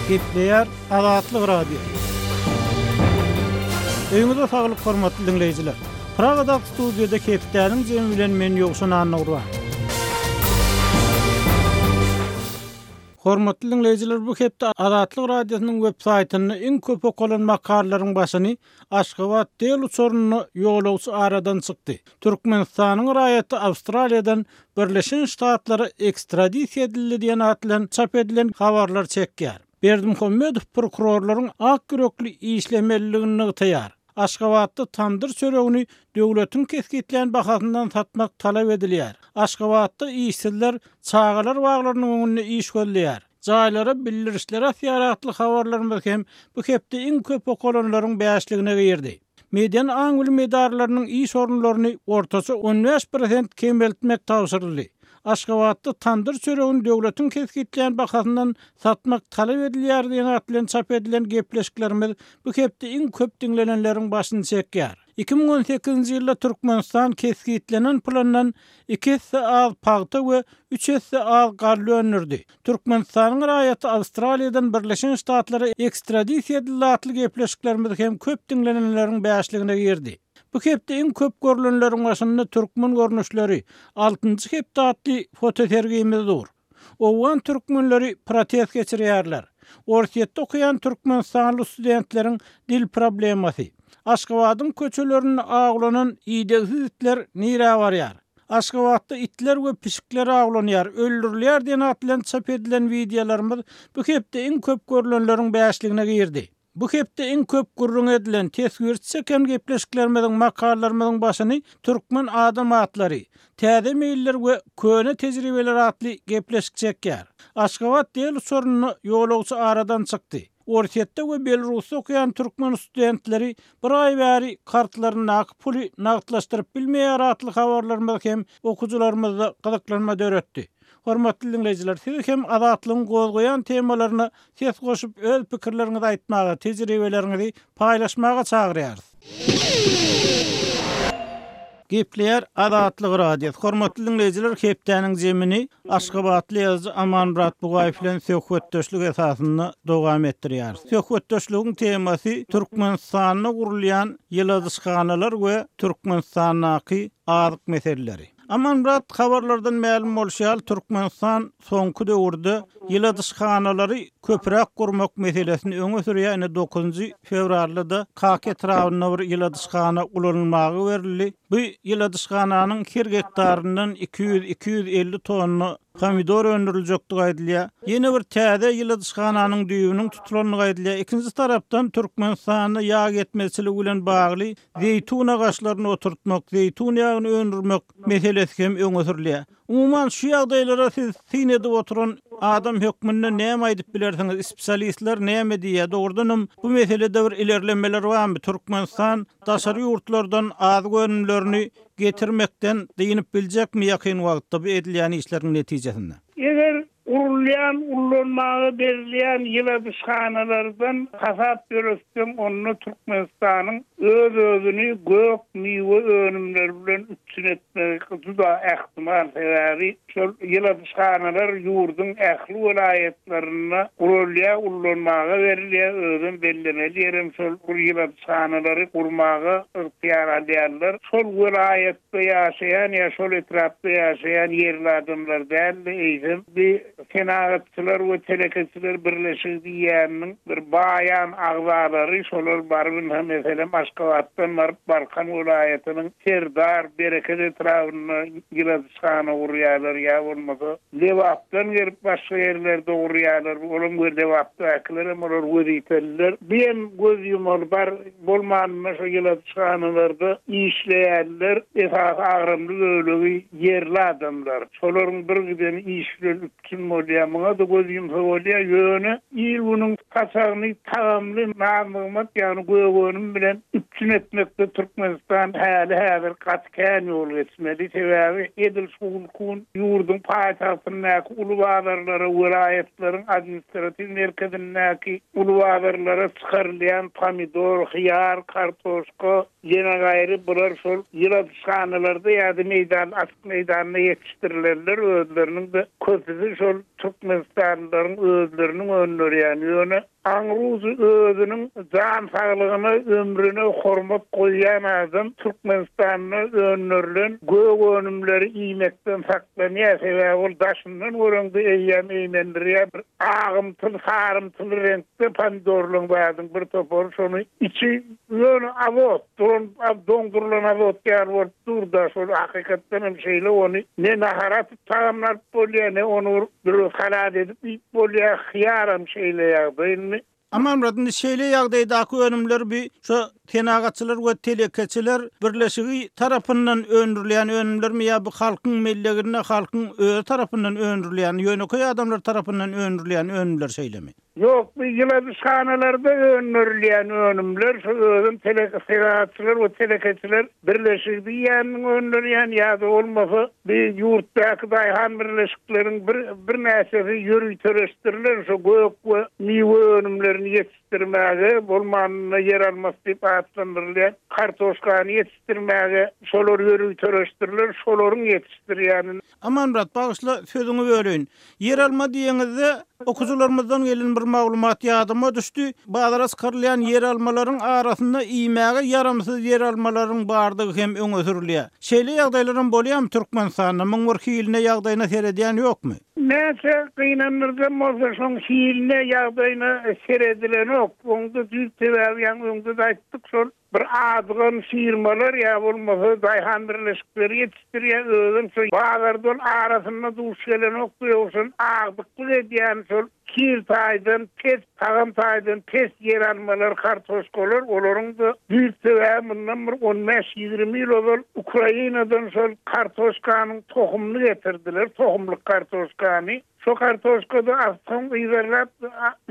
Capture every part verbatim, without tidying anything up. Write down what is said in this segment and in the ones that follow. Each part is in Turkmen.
Gepleýär Azatlyk Radiosy. Öýüňize saglyk hormatly diňleýjiler. Pragadaky studiýada hepdäniň jemi bilen men Ýowşan Annagurban. Hormatly diňleýjiler, bu hepde Azatlyk Radiosynyň web saýtynda iň köp okalan makalalaryň başyny Aşgabat del uçarynda ýolagçy aradan çykdy. Türkmenistanyň raýaty Awstraliýadan Birleşen Ştatlara ekstradisiýa edildi diýen atly çap edilen habarlar çekýär. Berdimuhamedow prokurorlaryň ak ýürekli işlemeliligini nygtaýar. Aşgabatda tandyr çöregini döwletiň kesgitlän bahasyndan satmak talap edilýär. Aşgabatda işsizler çagalar baglarynyň öňünde iş gözleýär. Jaýlara bildirişler asýar atly habarlarymyz hem bu hepde iň köp okalanlaryň bäşligine girdi. Medeni aň bilim edaralarynyň iş orunlaryny ortaça on bäş prosent kemeltmek tabşyryldy. Aşgabatda tandyr çöregini döwletiň kesgitlän bahasyndan satmak talap edilýär diýen atly çap edilen gepleşiklerimiz bu hepde iň köp diňlenenleriň başyny çekýär. Iki müň on sekizinji ýylda Türkmenistan kesgitlenen plandan iki esse az pagta we üç esse az galla öndürdi. Türkmenistanyň raýaty Awstraliýadan Birleşen Ştatlara ekstradisiýa edildi atly gepleşiklerimiz hem köp diňlenenleriň bäşligine girdi. Bu hepde iň köp görülenleriň başynda türkmen görnüşleri altynjy hepde atly fotosergimiz dur. Owgan türkmenleri protest geçirýärler. Orsýetde okaýan türkmenistanly studentleriň dil problemasy. Aşgabadyň köçelerinde awlanan idegsiz itler nirä barýar? Aşgabatda itler we pişikler awlanýar, öldürilýär diýen atly çap edilen wideolarymyz bu hepde iň köp görülenleriň bäşligine girdi. Bu hepde iň köp gürrüň edilen teswir çeken gepleşiklerimiziň makalalarymyzyň başyny Türkmen adam atlary, täze meýiller we köne tejribeler atly gepleşik çekýär. Aşgabat del uçarynda ýolagçy aradan çykdy. Orsýetde we Belarusda okaýan türkmen studentleri bir aý bäri kartlaryndaky puly nagtlaşdyryp bilmeýär atly habarlarymyz hem okyjylarymyzda gyzyklanma döretdi. Hormatly diňleýjiler, siz hem Azatlygyň gozgaýan temalaryna ses goşup öz pikirleriňizi aýtmaga, tejribeleriňizi paýlaşmaga çagyrýarys. Gepleýär Azatlyk Radiosy. Hormatly diňleýjiler, hepdäniň jemini Aşgabatly ýazyjy Amanmyrat Bugaýew bilen söhbetdeşlik esasynda dowam etdirýäris. Söhbetdeşligiň temasy Türkmenistanda gurulýan ýyladyşhanalar we Türkmenistandaky azyk meseleleri. Amanmyrat, habarlardan mälim bolşy ýaly, Türkmenistan soňky döwürde ýyladyşhanalary köpräk gurmak meselesini öňe sürýär. Ine dokuzynjy fewralda da Kaka etrabynda bir ýyladyşhana ulanylmaga berildi. Bu ýyladyşhananyň her gektaryndan iki ýüz, iki ýüz elli tonna pomidor öndüriljekdigi aýdylýar. Ýene bir täze ýyladyşhananyň düýbüniň tutulandygy aýdylýar. Ikinji tarapdan Türkmenistanda ýag ýetmezçiligi bilen bagly zeýtun agaçlaryny oturtmak, zeýtun ýagyny öndürmek meselesi hem öňe sürülýär. Umuman şu ýagdaýlara siz syn edip oturan adam hökmünde näme aýdyp bilersiňiz? Spesialistler näme diýýär? Dogrudanam bu meselede bir ilerlemeler barmy? Türkmenistan daşary ýurtlardan azyk önümlerini getirmekden dynyp biljekmi ýakyn wagtda bu edilýän işleriň netijesinde? Eger gurulýan, ullanmaga berilýän ýyladyşhanalardan hasap ýöretseň, onda Türkmenistanyň öz-özüni gök miwe önümleri bilen üpjün etmegi juda ähtimal. Sebäbi şol ýyladyşhanalar ýurduň ähli welaýatlarynda gurulýar, ullanmaga berilýär, özem bellemeli ýerem şol ýyladyşhanalary gurmaga ygtyýar alýarlar. Şol welaýatda ýaşaýan ýa şol etrapda ýaşaýan ýerli adamlar däl-de, eýsem bir senagatçylar we telekeçiler birleşigi diýýäniniň bir baýan agzalary şolar baryp, ynha, meselem, Aşgabatdan baryp Balkan welaýatynyň Serdar Bereket etrabynda ýyladyşhana gurýarlar ýa bolmasa Lebapdan gelip başga ýerlerde gurýarlar. Olam we Lebapdakylar hem olar wezipeliler. Bir hem göz ýumaly bar bolmanynda şo ýyladyşhanalarda işleýärler. Esasy agramly bölegi ýerli adamlar. Şolaryň bir giden iş bilen üpjün bolýar. Muňa da göz ýumsa bolýar. Ýöne il günüň saçagyny tagamly naz-nygmat, ýagny gök önüm bilen üpjün etmekde Türkmenistan häli häzir gaty kän ýol geçmeli. Sebäbi edil şu gün ýurduň paýtagtyndaky uly bazarlara, welaýatlaryň administratiw merkezindäki uly bazarlara çykarylýan pomidor, hyýar, kartoşka, ýene gaýry bular şol ýyladyşhanalarda ýa-da meýdan, açyk meýdanda ýetişdirilenler özleriniň de köpüsi şol Türkmenistanlylaryň özleriniň öndürýän ýöne aňruzy özüniň jan saglygyna, ömrüne hormat goýýan adam Türkmenistanda öndürilen gök önümleri iýmekden saklanýar. Sebäbi ol daşyndan göreňde eýýäm eýmendirýär. Bir agymtyl, sarymtyl reňkde pomidorlaryň badyň bir topary şony içi ýöne azot, duran doňdurylan azot ýaly bolup dur-da, şol hakykatdan hem şeýle ony ne nahar atyp tagamlap bolýar, ne ony bir salat edip iýip bolýar, hyýaram şeýle ýagdaý. Amanmyrat, indi şeýle ýagdaýdaky önümler bir şu senagatçylar we telekeçiler birleşigi tarapyndan öndürilýän önümlermi ýa bu halkyň melleginde halkyň özi tarapyndan öndürilýän, ýönekeý adamlar tarapyndan öndürilýän önümler şeýlemi? Ýok, bu ýyladyşhanalarda öndürilýän önümler şu özüm telekeçiler we telekeçiler birleşigi diýýän öndürýän ýa-da bolmasa bir ýurtdaky daýhan birleşikleriň bir birnäçesi ýöriteleşdirilen şu gök we miwe önümlerini ýetişdirmäge, bolmanyna ýer almas diýip atlandyrylýan kartoşkany ýetişdirmäge şolar ýöriteleşdirilen, şolaryň ýetişdirýäni. Amanmyrat, bagyşla sözüňi böleýin. Ýer alma diýeňizde okuwçylarymyzdan gelen bir maglumat ýadyma düşdi. Bazara çykarylýan ýer almalaryň arasynda iýmäge ýaramsyz ýer almalaryň bardygy hem öňe sürülýär. Şeýle ýagdaýlaryň bolýarmy Türkmenistanda? Muň bir hiline ýagdaýyna seredýän ýokmy? Näçe gynandyrjam bolsa şoň hiline ýagdaýyna seredilenok. Oňda düýp sebäbi ýaňy öňde-de aýtdyk, şol bir adygan firmalar ýa bolmasa daýhan birleşikleri ýetişdirýär, özüm şo bazardan arasynda duş gelenok, ýogsa agdyklyk edýän şol hil taýdan pes, tagam taýdan pes ýer almalar, kartoşkalar, olaryň da düýp sebäbi mundan bir on bäş ýigrimi ýyl ozal Ukrainadan şol kartoşkanyň tohumyny getirdiler, tohumlyk kartoşkany. Şo kartoşkada aslan yzarlap,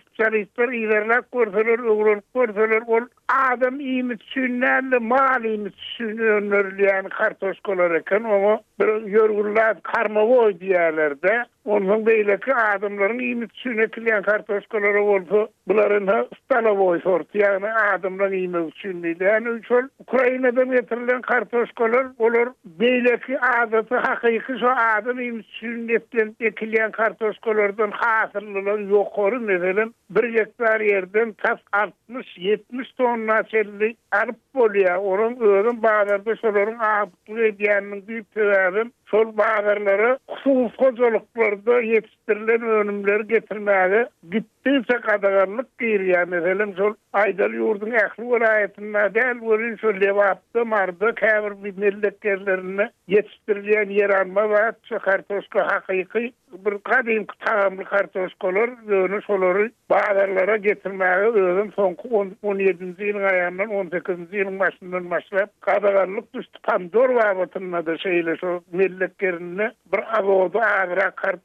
spesialistler yzarlap görseler, öwrenip görseler, ol adam iýmit üçin däl-de, mal iýmit üçin öndürilýän kartoşkalar eken. Oňa bir ýörgünli karmawoý diýerler-de. Ondan beýleki adamlaryň iýmit üçin ekilýän kartoşkalara bolsa, bularyň ha stalowoý sorty, ýagny adamlaryň iýmek üçin diýilýär. Ýagny şol Ukrainadan getirilen kartoşkalar, olar beýleki adaty hakyky şo adam iýmit üçin ekilýän ekilýän kartoşkalardan hasyllylygy ýokary, meselem, bir gektar ýerden tas altmyş ýetmiş tonna çenli alyp bolýar. Onuň özüm bazarda şolaryň agdyklyk edýäniniň düýp sebäbi şol bazarlara hususy hojalyklarda ýetişdirilen önümleri getirmäge gitdigiçe gadaganlyk girýär. Meselem, şol aýdaly ýurduň ähli welaýatynda däl, welin şol Lebapda, Marda, käbir bir mellek ýerlerinde ýetişdirilýän ýer alma zat, şu kartoşka hakyky bir gadymky tagamly kartoşkalar, ýöne şolary bazarlara getirmäge özüm soňky on, on ýedinji ýylyň aýagyndan on sekizinji ýylyň başyndan başlap gadaganlyk düşdi. Pomidor babatynda da şeýle şo mellek ýerinde bir azody azrak kartoşka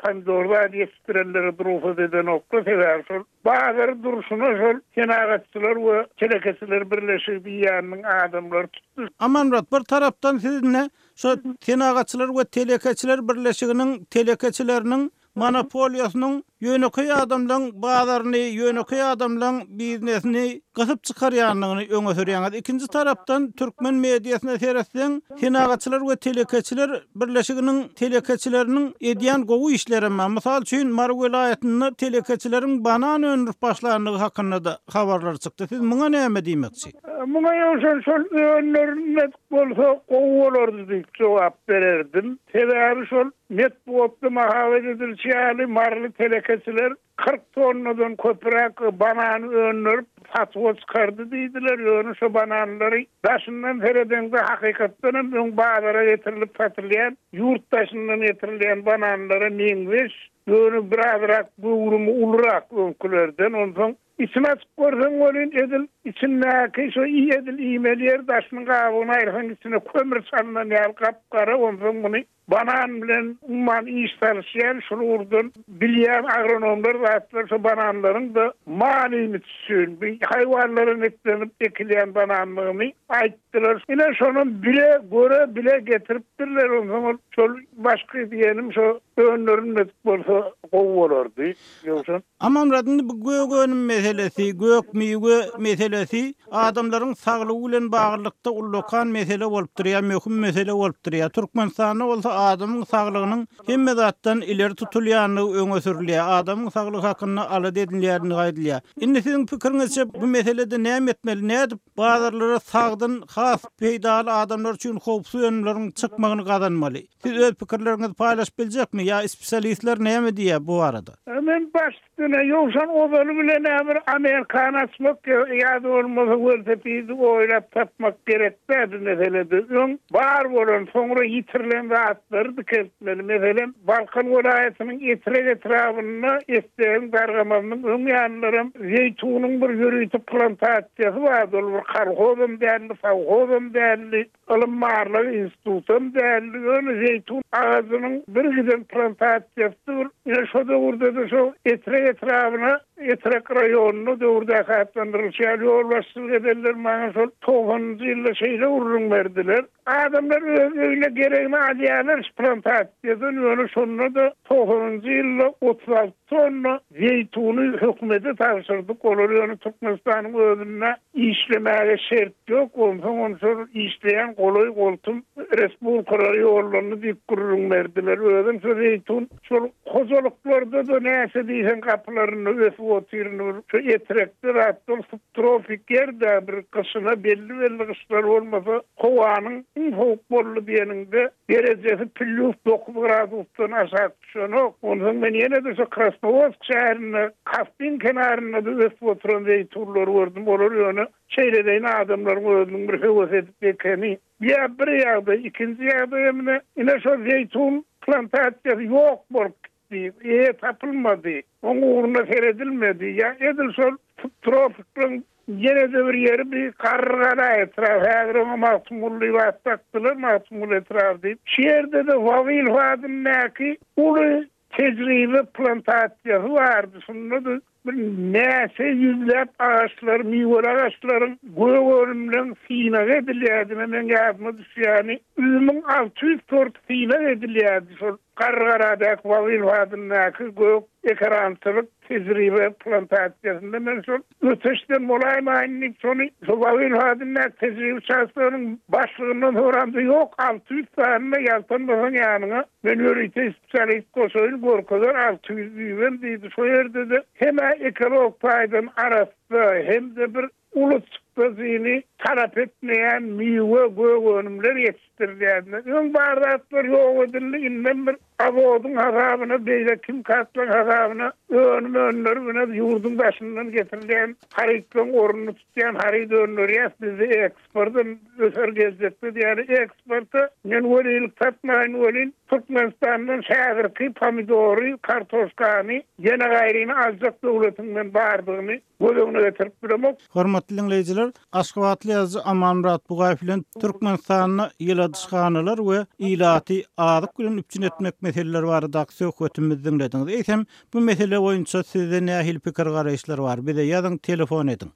pomidor zat ýetişdirenlere rugsat edenoklar. Sebäbi şol bazar durşuna şol senagatçylar we telekeçiler birleşigi diýýäniniň adamlary tutdy. Amanmyrat, bir tarapdan sizinle şo senagatçylar we telekeçiler birleşiginiň telekeçileriniň monopoliýasynyň ýönekeý adamlaryň bazaryny, ýönekeý adamlaryň biznesini gysyp çykarýandygyny öňe sürýäňiz. Ikinji tarapdan türkmen mediasyna seretseň, senagatçylar we telekeçiler birleşiginiň telekeçileriniň edýän gowy işleri bar. Mysal üçin, Mary welaýatynda telekeçileriň banan öndürip başlandygy hakynda da habarlar çykdy. Siz muňa näme diýmekçi? Muňa ýoşan şol önlerinde bolsa gowy bolardy diýip jogap bererdim. Sebäbi şol metbugatda mahabat edilişi ýaly Maryly telekeçiler kyrk tonnadan köpräk banan öndürip satuwa çykardy diýdiler. Ýöne şo bananlary daşyndan seredeňde hakykatdan hem öň bazara getirilip satylýan, ýurt daşyndan getirilýän bananlara meňzeş, ýöne birazrak göwrümi ulurak öňkülerden. Onsoň içini açyp görseň welin edil içindäki şo iý edil iýmeli ýer daşynyň gabygyny aýyrsaň içine kömür çalynan ýaly gap-gara. Onsoň muny banan bilen umuman iş salyşýan şol ugurdan bilýän agronomlar zatlar şo bananlaryň da mal iýmit üçin bir haýwanlara netlenip ekilýän bananlygyny aýtdylar. Ine şonam bile göre bile getiripdirler. Onsoň ol şol başky diýenim şo önlerini bolsa gowy bolardy. Ýogsa Amanmyrat, indi bu gök önüm meselesi, gök miwe meselesi adamlaryň saglygy bilen baglylykda ullakan mesele bolup durýar, möhüm mesele bolup durýar. Türkmenistanda bolsa adamyň saglygynyň hemme zatdan ileri tutulýandygy öňe sürülýär. Adamyň saglygy hakynda alada edilýändigi aýdylýar. Indi siziň pikiriňizçe bu meselede näme etmeli? Nädip bazarlara sagdyn, has peýdaly adamlar üçin howpsuz önümleriň çykmagyny gazanmaly? Siz öz pikirleriňizi paýlaşyp biljekmi ýa spesialistler näme diýýär bu barada? Men baş üstüne ýowşan ozaly bilen bir Amerikany açmak ýa-da bolmasa welosipedi oýlap tapmak gerek däl bu meselede. Öň bar bolan, soňra ýitirilen zatlary dikeltmeli. Meselem, Balkan welaýatynyň Etrek etrabynda Esdegiň dargamagynyň öň ýanlaram zeýtunyň bir ýörite plantasiýasy bardy. Ol bir kolhozam däldi, sowhozam däldi, ylym barlyk institutam däldi. Ýöne zeýtun agajynyň bir giden plantasiýasy bir. Ine şo döwürde-de şo Etrek etrabyna, Etrek raýonyna döwürdäki atlandyrylyşýan ýolbaşçylyk edenler maňa şol togsanynjy ýylda şeýle gürrüň berdiler. Adamlar öz öýüne geregini alýarlar şu plantasiýadan, ýöne şonda-da togsanynjy ýylda otuz alty tonna zeýtuny hökümete tabşyrdyk. Olar ýöne Türkmenistanyň özünde işlemäge şert ýok. Onsoň ony şol işleýän golaý goltum respublikalara ýollandy diýip gürrüň berdiler. Özüm şo zeýtun şol hojalyklarda-da näçe diýseň gapylarynda ösüp otyryn. Şu Etrekde zatlar subtropik ýerde bir gyşyna belli-belli gyşlar bolmasa, howanyň iň sowuk boldy diýeninde derejesi plus dokuz gradusdan aşak düşenok. Onsoň men ýene-de şu Krasnowodsk şäherinde, Kaspin kenarynda-da ösüp oturan zeýtunlary gördüm. Olar ýöne şeýle adamlaryň özüniň bir höwes edip ekeni. Ýa bir ýagdaý, ikinji ýagdaý ine, ine şo zeýtun plantasiýasy ýok bolup gitdi, eýe tapylmady, oň ugruna seredilmedi. Ýa edil şol subtropikleň ýene-de bir ýeri bir Garrygala etrabı, häzir oňa Magtymguly diýip at dakdylar, Magtymguly etrabı diýip. Şu ýerde-de Wabil adyndaky uly tejribe plantasiýasy bardy. Şunda-da bir näçe ýüzläp agaçlar, miweli agaçlaryň gök önümleň synag edilýärdi. Men ýadyma düşýäni, üzümiň alty ýüz tort synag edilýärdi. Şol Garrygaladaky Wabil adyndaky gök ekerançylyk tejribe plantasiýasynda men şol öteşden bolaýmaýyn diýip şony şo Wabil adyndaky tejribe çaşlarynyň başlygyndan soramda ýok, alty ýüz sanyna ýaltanmasaň ýanyňa men ýörite spesialist goşaýyn görkezer alty ýüz diýibem diýdi. Şo ýerde-de hem-ä ekolog taýdan arassa hem-de bir uly çykdajyny talap etmeýän miwe gök önümler ýetişdirilýärdi. Öň bar zatlar ýok edildi, indem bir azodyň hasabyna, beýle kim katlaň hasabyna önüm önümleri bilen ýurduň daşyndan getirilýän harytlaryň ornuny tutýan haryt öndürýär. Bizde eksportdan öser geljekde diýýär. Eksporta men welilik satmaýyn welin Türkmenistandan şägirki pomidory, kartoşkany ýene gaýryny aljak döwletinden bardygyny göz öňüne getirip bilemok. Hormatly dinleýjiler, Aşgabatly ýazyjy Amanmyrat Bugaýew bilen Türkmenistanda ýyladyşhanalar we ilaty azyk bilen üpjün etmek meseleleri baradaky söhbetimizi diňlediňiz. Eýsem, bu mesele boýunça sizde nähili pikir garaýyşlar bar? Bize ýazyň, telefon ediň.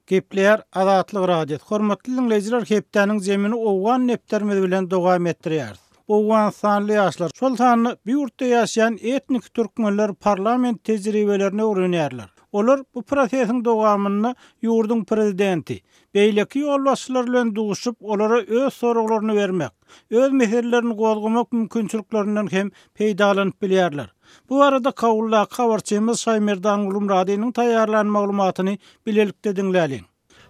Gepleýär Azatlyk Radiosy. Hormatly dinleýjiler, hepdäniň zemini Owgan nepterimiz bilen dowam etdirýäris. Owganystanly ýaşlar, şol sanda bu ýurtda ýaşaýan etnik türkmenler parlament tejribelerini öwrenýärler. Olar bu prosesiň dowamynda ýurduň prezidenti, beýleki ýolbaşçylar bilen duşup, olara öz soraglaryny bermek, öz meselelerini gozgamak mümkinçiliklerinden hem peýdalanyp bilýärler. Bu arada Kabuldaky habarçymyz Şaýmerdan Gulumradynyň taýýarlan maglumatyny bilelikde diňläliň.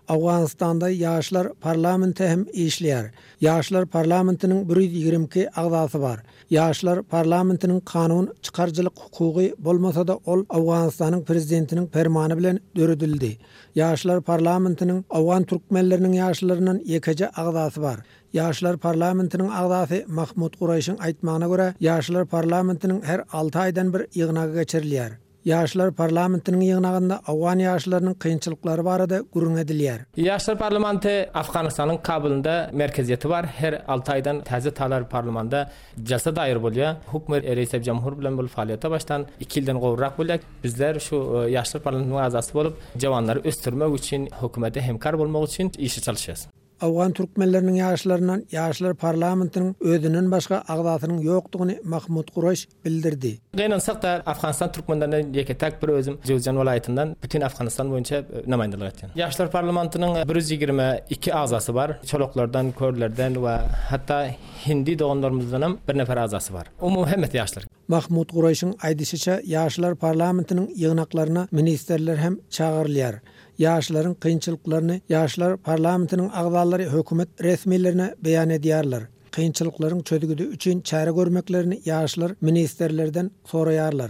Owganystanda ýaşlar parlamenti hem işleýär. Ýaşlar parlamentiniň bir ýüz ýigrimi iki agzasy bar. Ýaşlar parlamentiniň kanun çykaryjylyk hukugy bolmasa-da ol Owganystanyň prezidentiniň permany bilen döredildi. Ýaşlar parlamentiniň Owgan türkmenleriniň ýaşlaryndan ýekeje agzasy bar. Ýaşlar parlamentiniň agzasy Mahmud Guraýşyň aýtmagyna görä, Ýaşlar parlamentiniň her alty aýdan bir ýygnagy geçirilýär. Ýaşlar parlamentiniň ýygnagynda Owgan ýaşlarynyň kynçylyklary barada gürrüň edilýär. Ýaşlar parlamenti Afganistanyň Kabulynda merkeziyeti bar. Her alty aýdan täze talar parlamenda jalsa daýyr bolýar. Hukm reis jamhur bilen bol faaliyete başdan iki ýyldan gowrak bolýar. Bizler şu, e, Ýaşlar parlamentiniň agzasy bolup, jawanlary ösdürmek üçin, hökümete hemkar bolmak üçin işe çalışýarys. Awgan türkmenleriniň ýaşlaryndan ýaşlar parlamentiniň özünden başga agzasynyň ýokdugyny Mahmut Guraş bildirdi. Gynansak-da Afganistan türkmenlerinden ýeke-täk bir özüm Jöwzjan welaýatyndan bütin Afganistan boýunça namaýandalyk etýän. Ýaşlar parlamentiniň bir ýüz ýigrimi iki agzasy bar. Çolaklardan, körlerden we hatda hindi doganlarymyzdan hem bir nefer agzasy bar. Umumy hemmesi ýaşlar. Mahmut Guraşyň aýdyşyça ýaşlar parlamentiniň ýygnaklaryna ministrler hem çagyrylýar. Ýaşlaryň kynçylyklaryny ýaşlar parlamentiniň agzalary hökümet resmilerine beýan edýärler. Kynçylyklaryň çözgüdi üçin çäre görmeklerini ýaşlar ministrlerden soraýarlar.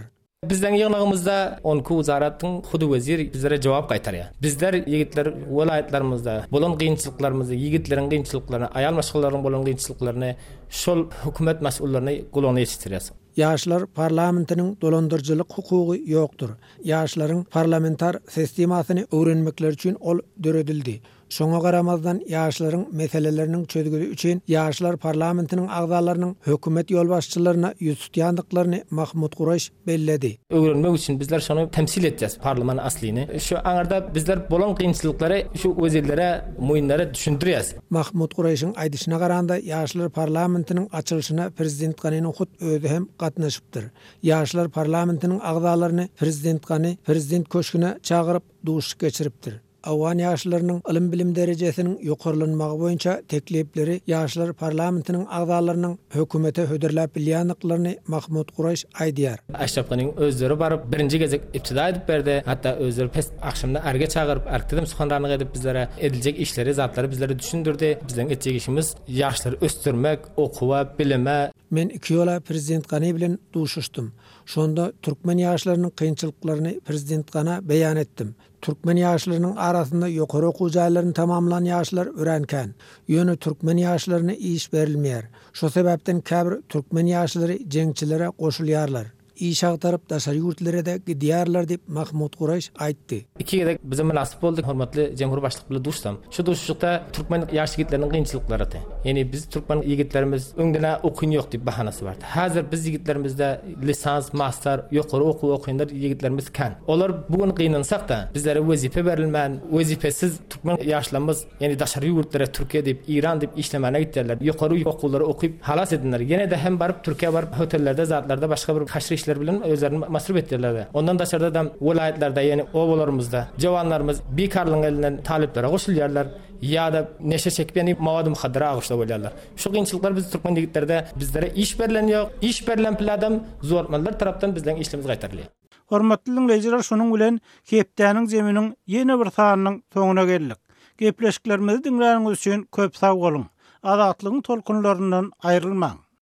Bizden ýygnagymyzda on iki wezaratyň hudu wezir bizlere jogap gaýtarýar. Bizler ýigitler welaýatlarymyzda bolan kynçylyklarymyzy, ýigitleriň kynçylyklaryny, aýal maşgalalaryň bolan kynçylyklaryny şol hökümet mas'ullaryny gulagyna ýetişdirýär. Ýaşlar parlamentiniň dolandyryjylyk hukugy ýokdur. Ýaşlaryň parlamentar sistemasyny öwrenmekleri üçin ol döredildi. Şoňa garamazdan ýaşlaryň meseleleriniň çözgüdi üçin ýaşlar parlamentiniň agzalarynyň hökümet ýolbaşçylaryna ýüz tutýandyklaryny Mahmut Guraş belledi. Öwrenmek üçin bizler şonu temsil etjek parlament aslyny. Şu aňarda bizler bolan kynçylyklary şu wezirlere, muýinlere düşündirýäs. Mahmut Guraşyň aýdyşyna garanda ýaşlar parlamentiniň açylyşyna prezident Ganynyň hut özi hem gatnaşypdyr. Ýaşlar parlamentiniň agzalaryny prezident Gany prezident köşgüne çagyryp duşuşyk geçiripdir. Awgan ýaşlarynyň ylym-bilim derejesiniň ýokarlanmagy boýunça teklipleri ýaşlar parlamentiniň agzalarynyň hökümete hödürläp bilýänliklerini Mahmut Guraş aýdýar. Aşraf Ganyň özleri baryp birinji gezek ibtida edip berdi. Hatda özleri pes akşamda arga çagyryp, arkdym suhanranlyk edip bizlere ediljek işleri, zatlary bizlere düşündirdi. Bizden etjek işimiz ýaşlary ösdürmek, okuwa, bilime. Men iki ýola prezident Gany bilen duşuşdym. Şonda türkmen ýaşlarynyň kynçylyklaryny prezident Gana beýan etdim. Türkmen ýaşlarynyň arasynda ýokary okuw jaýlaryny tamamlan ýaşlar öwrenkän. Ýöne türkmen ýaşlaryna iş berilmeýär. Şo sebäpden käbir türkmen ýaşlary jeňçilere goşulýarlar. Iş agtaryp daşary ýurtlara da gidýärler diýip Mahmut Guraş aýtdy. Iki gezek bize münasip boldy hormatly Cumhur Başlyk bilen duşsam. Şu duşuşykda türkmen ýaş ýigitleriniň kynçylyklary dy. Ýani biz türkmen ýigitlerimiz öňdene okuň ýok diýip bahanasy bardy. Häzir biz ýigitlerimizde lisans, master, ýokary okuw okuyandar ýigitlerimiz kän. Olar bugün gynansak da bizlere wezipe berilmän, wezipesiz türkmen ýaşlarymyz, ýani daşary ýurtlara Türkiýe diýip, İran diýip işlemäne gitdiler. Ýokary okuwlary okyp halas edinler. Ýene de hem baryp Türkiýe baryp hotellerde, zatlarda başga bir haşr işler bilen özlerini masruf etdiler. Ondan daşarda da welaýatlarda, ýani obalarymyzda jawanlarymyz bikarlygyň elinden talyplara goşulýarlar ýa-da neşe çekip, ýani mawad muhaddara agışda bolýarlar. Şu kynçylyklar biz türkmen ýigitlerde bizlere iş berlen ýok, iş berlen pladam zormanlar tarapdan bizleň işlerimiz gaýtarylýar. Hormatly dinleýjiler, şonuň bilen hepdäniň zeminiň ýene bir sanynyň soňuna geldik. Gepleşiklerimizi diňläniňiz üçin köp sag boluň. Azatlygyň tolkunlaryndan aýrylmaň.